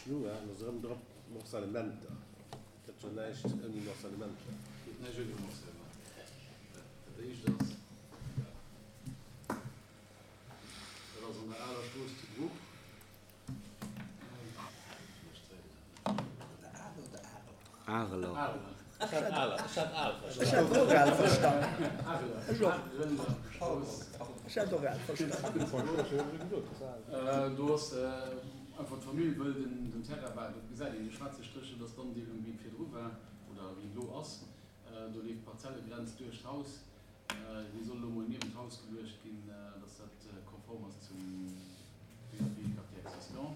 elo, hein, ass erëm drop Morcellementer. Et gëtt jo näischt ouni Morcellementer. Geet näischt ouni Morcellement. Dat éischt ass, dat ass an der aler Strooss zu Bruch. Areler. Ech hat aler, ech hat al Ech hat och al verstanen. Ech och. Ech hat och al verstanen. Do ass einfach d'Famill wëll den Terrain, well dat gesäit een, dee schwaarze Stréch, dat ass d'Andeelung wéi et virdru war oder wéi et elo ass. Do leeft d'Parzellegrenz duerch d'Haus. Déi soll elo mol niewent d'Haus geluecht ginn, dass dat konform ass zum PAP Quartier existant.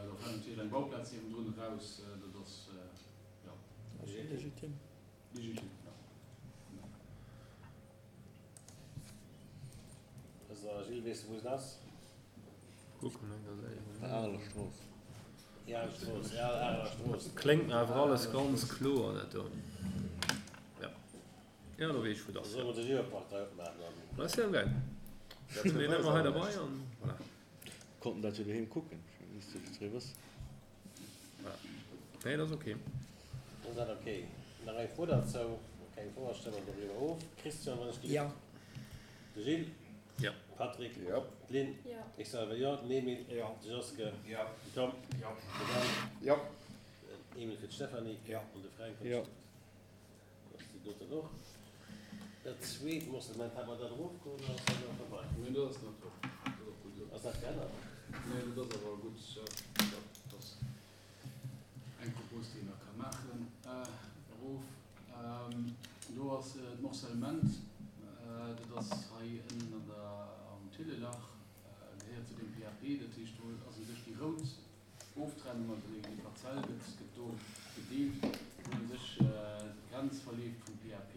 Do fält natierlech eng Bauplaz niewendrun eraus. Dat ass, jo. Legitim. Legitim, jo. Also Gilles, weess de wou se ass? Kucken eng der Séier. Der Areler Strooss. Déi Areler Strooss, ja, Areler Strooss. Kléngt mir awer alles ganz kloer dat do. Jo. Jo, do weess ech wou et ass. Da solle mer de Geoportail opmaachen an. Dat ass jo geil. Dat hunn mir ëmmer hei derbei an voilà. Konnten dat jo doheem kucken, misst jo jiddweree wëssen. Voilà. Nee, dat ass ok. Ass dat ok? Nach eng Fro derzou? Keng Fro, da stëmme mer doriwwer of. Christian, wann ech Ja. De Gilles? Ja. Patrick? Ja. D'Lynn? Ja. Ech selwer jo. Den Emil? Ja. De Joske? Ja. Den Tom? Ja. De Dan? Ja. Den Emil fir d'Stéphanie? Ja. An de Fränk? Ja. Ass déi doten och. Dat zweet Morcellement, hat mer dat erofgeholl oder ass dat nach derbei? Nee, dat ass nach drop. Dat ass och gutt esou. Ass dat geännert? Nee, dat ass awer gutt. Jo, dat ass eng Propos, déi een nach ka maachen. Erof, do ass d'Morcellement, dat ass hei ënnen an der, am Thillelach, gehéiert zu deem PAP. Dat heescht, do ass u sech déi rout Oftrennung, also déi Parzell gëtt gëtt do gedeelt, wou u sech d'Grenz verleeft vum PAP,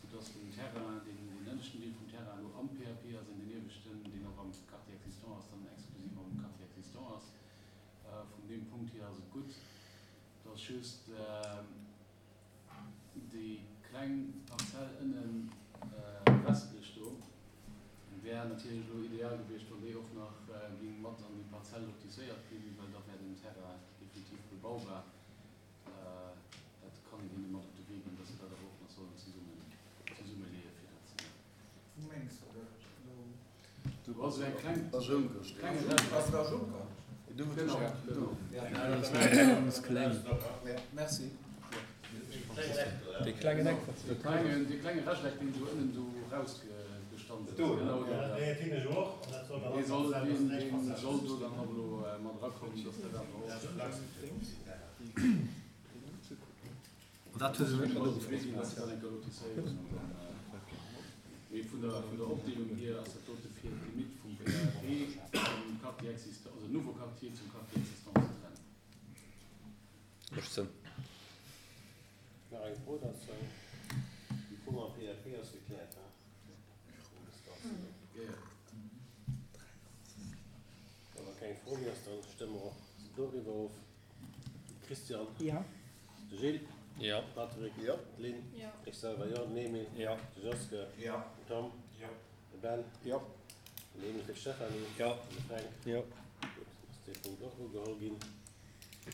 soudass den Terrain, deen deen ënneschten Deel vum Terrain elo am PAP ass an deen ieweschten, deen och am Quartier existant ass, dann exklusiv am Quartier existant ass. Vun deem Punkt hier ass et gutt. Et ass just déi kleng Parzell ënnen westlech do wär natierlech elo ideal gewiescht, wann déi och nach géing mat an déi Parzell lotisséiert ginn, well da wär den Terrain definitiv bebaubar. Dat kann een hinne mat op de Wee ginn, dass se dat awer och nach sollen zesummen, zesummeleeë fir dat ze maachen. Wou mengs de dat elo? Do ass esou eng kleng, klenge Rechteck. Ass dat Juncker? Ganz kleng. Merci. Dee klengen Eck. Dee klenge Rechteck, deen esou ënnen do rausgestanzt ass. Genau do, ja. Dee soll, dee soll do dann och elo mat erakommen, dass dat awer och. Dat huet se net Mee vun der vun der Opdeelung hier ass dat dote fir d'Limitt vum PAP zum Quartier existant, also nouveau Quartier zum Quartier existant ze trennen. Mécht Sënn. Nach eng Fro derzou? Déi Fro mam PAP ass gekläert, he? Jo, jo. Wa keng Fro méi ass, dann stëmme mer och doriwwer of. Christian. Ja. De Gilles. Ja. Patrick. Ja. D'Lynn. Ja. Ech selwer jo. Den Emil. Ja. De Joske. Ja. Den Tom. Ja. De Ben. Ja. Den Emil fir d'Stéphanie. Ja. An de Fränk. Ja. Gutt, ass dee Punkt och ugeholl ginn.